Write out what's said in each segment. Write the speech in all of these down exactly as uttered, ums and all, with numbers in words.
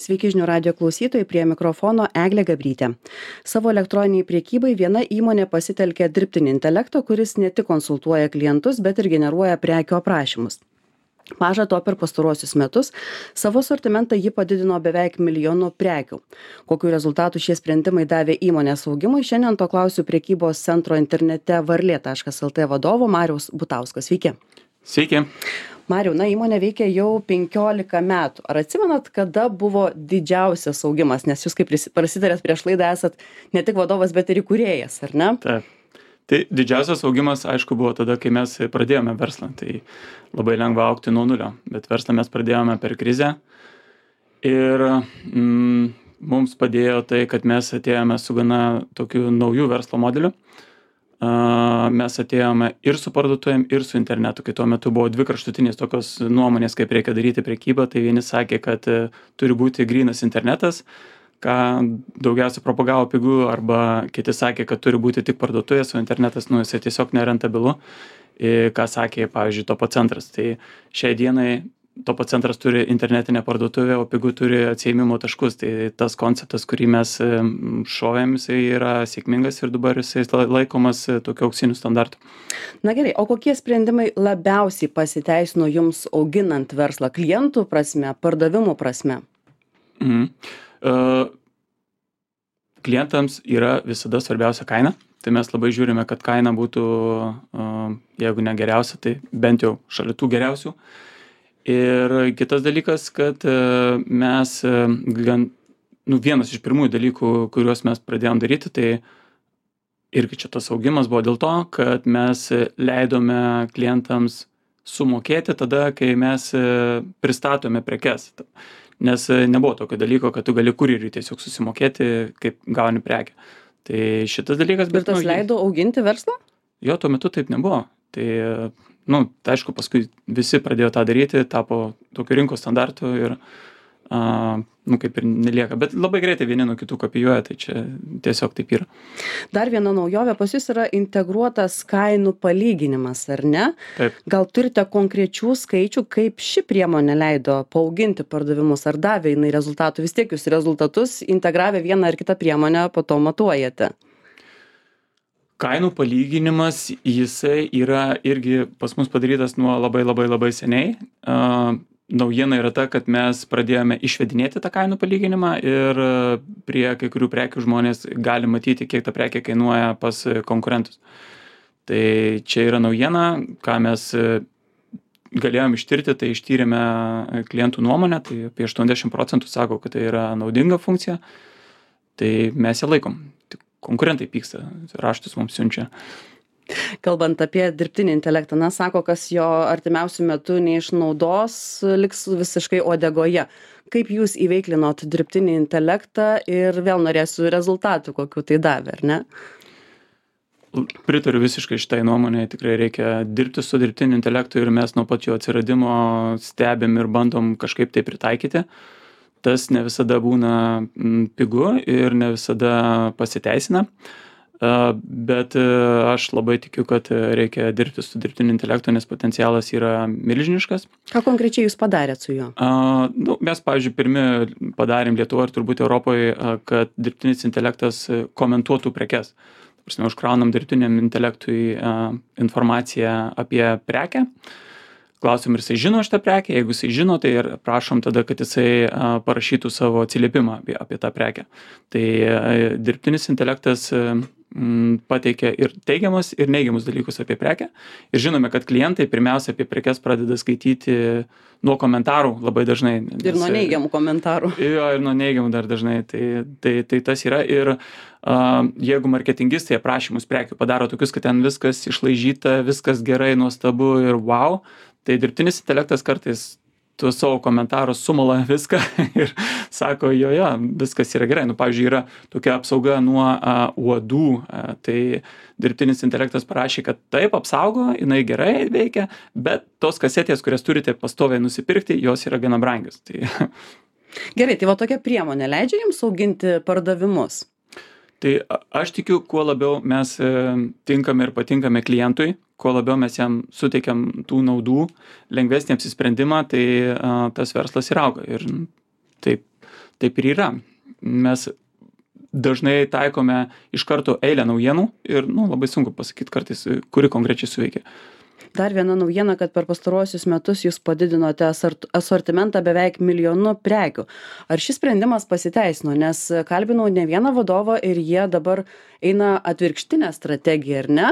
Sveiki žinių radijo klausytojai, prie mikrofono Eglė Gabrytė. Savo elektroniniai priekybai viena įmonė pasitelkė dirbtinį intelektą, kuris ne tik konsultuoja klientus, bet ir generuoja prekių aprašymus. Maža to, per pastaruosius metus savo sortimentą ji padidino beveik milijonu prekių. Kokių rezultatų šie sprendimai davė įmonės augimui, šiandien to klausiu prekybos centro internete varlė taškas lt vadovo Mariaus Butauskas. Sveiki. Sveiki. Mariau, na, įmonė veikia jau penkiolika metų. Ar atsimenat, kada buvo didžiausias augimas? Nes jūs, kaip prasitarėt prieš laidą, esat ne tik vadovas, bet ir įkūrėjas, ar ne? Taip. Tai didžiausias augimas, aišku, buvo tada, kai mes pradėjome verslą. Tai labai lengva augti nuo nulio, bet verslą mes pradėjome per krizę. Ir mm, mums padėjo tai, kad mes atėjome su gana tokiu naujų verslo modeliu. Uh, mes atėjome ir su parduotuvėm, ir su internetu, kai tuo metu buvo dvi kraštutinės tokios nuomonės, kaip reikia daryti prekybą. Tai vieni sakė, kad uh, turi būti grynas internetas, ką daugiausia propagavo pigų, arba kiti sakė, kad turi būti tik parduotuvės, o internetas, nu, jisai tiesiog nerentabilu, ir ką sakė, pavyzdžiui, Topo centras. Tai šiai dienai Topo centras turi internetinę parduotuvę, o pigų turi atsiėmimo taškus. Tai tas konceptas, kurį mes šovėm, jisai yra sėkmingas ir dabar jisai laikomas tokiu auksiniu standartu. Na gerai, o kokie sprendimai labiausiai pasiteisino jums auginant verslą klientų prasme, pardavimų prasme? Mhm. Uh, klientams yra visada svarbiausia kaina. Tai mes labai žiūrime, kad kaina būtų, uh, jeigu ne geriausia, tai bent jau šalia tų geriausių. Ir kitas dalykas, kad uh, mes uh, gan, nu, vienas iš pirmųjų dalykų, kuriuos mes pradėjom daryti, tai irgi čia tas augimas buvo dėl to, kad mes leidome klientams sumokėti tada, kai mes uh, pristatome prekes. Nes nebuvo tokio dalyko, kad tu gali kurjeriui tiesiog susimokėti, kaip gauni prekę. Tai šitas dalykas... Ir tas nu, leido auginti verslą? Jo, tuo metu taip nebuvo. Tai, nu, tai aišku, paskui visi pradėjo tą daryti, tapo tokio rinkos standartų ir, a, nu, kaip ir nelieka. Bet labai greitai vieni nuo kitų kopijuoja, tai čia tiesiog taip yra. Dar viena naujovė pas jūs yra integruotas kainų palyginimas, ar ne? Taip. Gal turite konkrečių skaičių, kaip ši priemonė leido paauginti pardavimus, ar davė jinai rezultatų? Vis tiek jūs rezultatus integravę vieną ar kitą priemonę po to matuojate. Kainų palyginimas, jisai yra irgi pas mus padarytas nuo labai labai labai seniai. Uh, Naujiena yra ta, kad mes pradėjome išvedinėti tą kainų palyginimą ir prie kai kurių prekių žmonės gali matyti, kiek ta prekė kainuoja pas konkurentus. Tai čia yra naujiena, ką mes galėjom ištirti, tai ištyrėme klientų nuomonę, tai apie aštuoniasdešimt procentų sako, kad tai yra naudinga funkcija, tai mes ją laikom. Tik konkurentai pyksta, raštus mums siunčia. Kalbant apie dirbtinį intelektą, na, sako, kas jo artimiausių metų neišnaudos, liks visiškai uodegoje. Kaip jūs įveiklinot dirbtinį intelektą ir vėl norėsiu rezultatų, kokiu tai davė, ar ne? Pritariu visiškai šitai nuomonė, tikrai reikia dirbti su dirbtiniu intelektu ir mes nuo pat jo atsiradimo stebim ir bandom kažkaip tai pritaikyti. Tas ne visada būna pigu ir ne visada pasiteisina. Bet aš labai tikiu, kad reikia dirbti su dirbtiniu intelektu, nes potencialas yra milžiniškas. Ką konkrečiai jūs padarėt su juo? Uh, nu, mes, pavyzdžiui, pirmi padarėm Lietuvoje ir turbūt Europoje, kad dirbtinis intelektas komentuotų prekes. Prasme, užkraunam dirbtiniam intelektui uh, informaciją apie prekę. Klausim, ar jisai žino šitą prekę. Jeigu jisai žino, tai ir prašom tada, kad jisai a, parašytų savo atsiliepimą apie, apie tą prekę. Tai a, dirbtinis intelektas a, m, pateikia ir teigiamus, ir neigiamus dalykus apie prekę. Ir žinome, kad klientai pirmiausia apie prekes pradeda skaityti nuo komentarų labai dažnai. Nes, ir nuo neigiamų komentarų. Jo, ir nuo neigiamų dar dažnai. Tai, tai, tai tas yra. Ir a, jeigu marketingistai aprašymus prekių padaro tokius, kad ten viskas išlaižyta, viskas gerai, nuostabu ir wow, tai dirbtinis intelektas kartais tuos savo komentarus sumala viską ir sako, jo, jo, viskas yra gerai. Nu, pavyzdžiui, yra tokia apsauga nuo a, uodų, a, tai dirbtinis intelektas parašė, kad taip apsaugo, jinai gerai veikia, bet tos kasetės, kurias turite pastoviai nusipirkti, jos yra gana brangios. Tai... Gerai, tai va tokia priemonė leidžia jums auginti pardavimus? Tai aš tikiu, kuo labiau mes tinkame ir patinkame klientui, kuo labiau mes jam suteikiam tų naudų, lengvesnį apsisprendimą, tai a, tas verslas ir auga. Ir taip, taip ir yra. Mes dažnai taikome iš karto eilę naujienų ir nu, labai sunku pasakyti kartais, kuri konkrečiai suveikia. Dar viena naujiena, kad per pastaruosius metus jūs padidinote asort- asortimentą beveik milijonu prekių. Ar šis sprendimas pasiteisino? Nes kalbinau ne vieną vadovą ir jie dabar eina atvirkštinę strategiją, ar ne?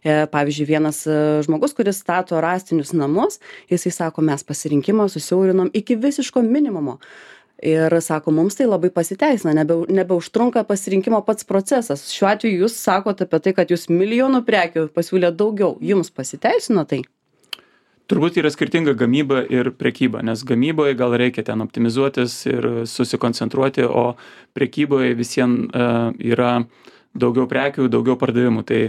E, pavyzdžiui, vienas e, žmogus, kuris stato rąstinius namus, jisai sako, mes pasirinkimą susiaurinom iki visiško minimumo. Ir sako, mums tai labai pasiteisina, nebe, nebeužtrunka pasirinkimo pats procesas. Šiuo atveju jūs sakote apie tai, kad jūs milijonų prekių pasiūlėt daugiau. Jums pasiteisino tai? Turbūt yra skirtinga gamyba ir prekyba, nes gamyboje gal reikia ten optimizuotis ir susikoncentruoti, o prekyboje visiems uh, yra daugiau prekių, daugiau pardavimų. Tai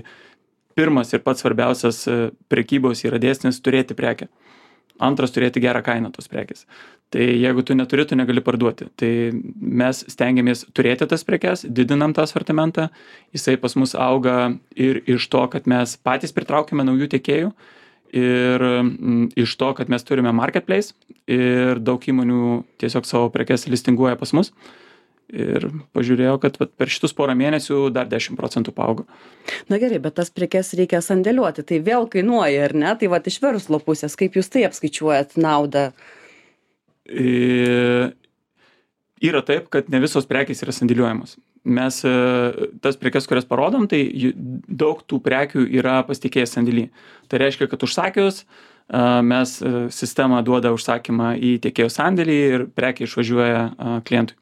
pirmas ir pats svarbiausias uh, prekybos yra dėsnis turėti prekę. Antras turėti gerą kainą tos prekės. Tai jeigu tu neturi, tu negali parduoti. Tai mes stengiamės turėti tas prekes, didinam tą asortimentą, jisai pas mus auga ir iš to, kad mes patys pritraukime naujų tiekėjų ir mm, iš to, kad mes turime marketplace ir daug įmonių tiesiog savo prekes listinguoja pas mus. Ir pažiūrėjau, kad vat, per šitus porą mėnesių dar dešimt procentų paaugo. Na gerai, bet tas prekes reikia sandėliuoti, tai vėl kainuoja, ar ne? Tai vat iš verslo pusės, kaip jūs tai apskaičiuojat naudą? E, yra taip, kad ne visos prekės yra sandėliuojamos. Mes e, tas prekes, kurias parodom, tai jų- daug tų prekių yra pasitikėjęs sandėly. Tai reiškia, kad užsakius, e, mes e, sistema duoda užsakymą į tiekėjo sandėlį ir prekė išvažiuoja e, klientui.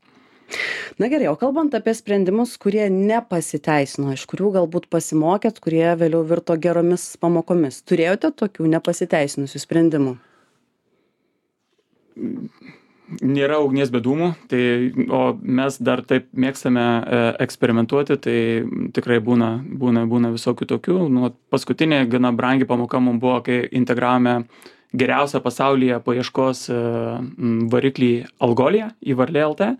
Na gerai, o kalbant apie sprendimus, kurie nepasiteisino, iš kurių galbūt pasimokėt, kurie vėliau virto geromis pamokomis. Turėjote tokių nepasiteisinusių sprendimų? Nėra ugnies be dūmų, tai, o mes dar taip mėgstame e, eksperimentuoti, tai tikrai būna, būna, būna visokių tokių. Nu, paskutinė gana brangi pamoka mums buvo, kai integravome geriausią pasaulyje paieškos e, m, variklį Algolia į Varlė L T.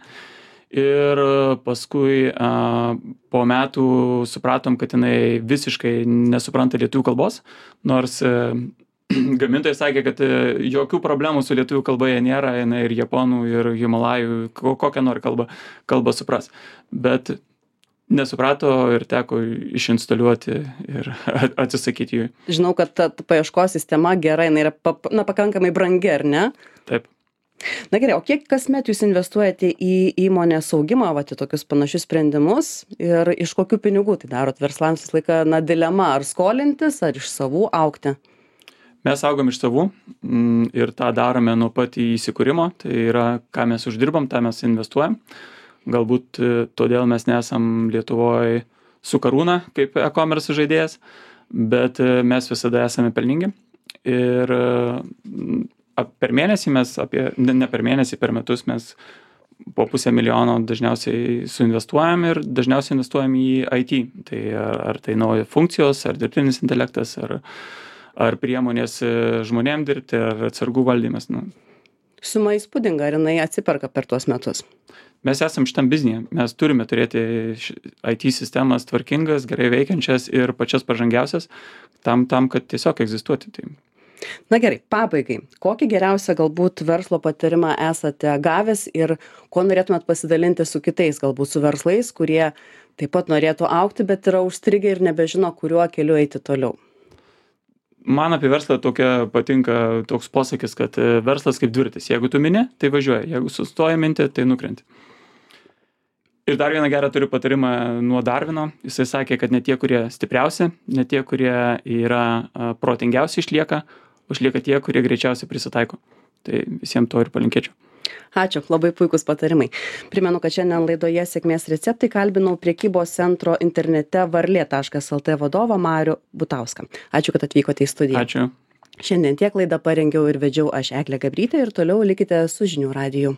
Ir paskui a, po metų supratom, kad jinai visiškai nesupranta lietuvių kalbos, nors e, gamintojai sakė, kad e, jokių problemų su lietuvių kalba jie nėra, jinai ir japonų, ir himalajų, ko- kokią nori kalbą, kalbą supras. Bet nesuprato ir teko išinstaliuoti ir atsisakyti jų. Žinau, kad ta ta paieškos sistema gera, jinai yra pap, na, pakankamai brangi, ar ne? Taip. Na gerai, o kiek kasmet jūs investuojate į įmonės augimą, vat, į tokius panašius sprendimus ir iš kokių pinigų tai darot? Verslams visą laiką, na, dilema, ar skolintis, ar iš savų augti? Mes augam iš savų mm, ir tą darome nuo pat įsikūrimo, tai yra, ką mes uždirbam, tą mes investuojam. Galbūt e, todėl mes nesam Lietuvoje su Karūna kaip e-commerce žaidėjas, bet e, mes visada esame pelningi. Ir e, ap- per mėnesį mes apie, ne, ne per mėnesį, per metus mes po pusę milijono dažniausiai suinvestuojam ir dažniausiai investuojam į I T. Tai ar, ar tai nauja funkcijos, ar dirbtinis intelektas, ar, ar priemonės e, žmonėm dirbti, ar atsargų valdymas. Nu, Suma įspūdinga, ar jinai atsiperka per tuos metus? mes esam šitam biznyje. Mes turime turėti ši- I T sistemas tvarkingas, gerai veikiančias ir pačias pažangiausias tam, tam kad tiesiog egzistuoti. Tai Na gerai, pabaigai. Kokį geriausią galbūt verslo patarimą esate gavęs ir ko norėtumėt pasidalinti su kitais, galbūt su verslais, kurie taip pat norėtų augti, bet yra užstrigę ir nebežino, kuriuo keliu eiti toliau? man apie verslą tokia patinka toks posakis, kad e, verslas kaip dviratis. Jeigu tu mini, tai važiuoja. Jeigu sustoji minti, tai nukrenti. Ir dar vieną gerą turiu patarimą nuo Darvino. Jisai sakė, kad ne tie, kurie stipriausi, ne tie, kurie yra a, protingiausi išlieka, o išlieka tie, kurie greičiausiai prisitaiko. Tai visiems to ir palinkėčiau. Ačiū, labai puikus patarimai. Primenu, kad šiandien laidoje Sėkmės receptai kalbinau prekybos centro internete varlė taškas lt vadovą Marių Butauską. Ačiū, kad atvykote į studiją. Ačiū. Šiandien tiek laidą parengiau ir vedžiau aš Eglė Gabrytė ir toliau likite su žinių radiju.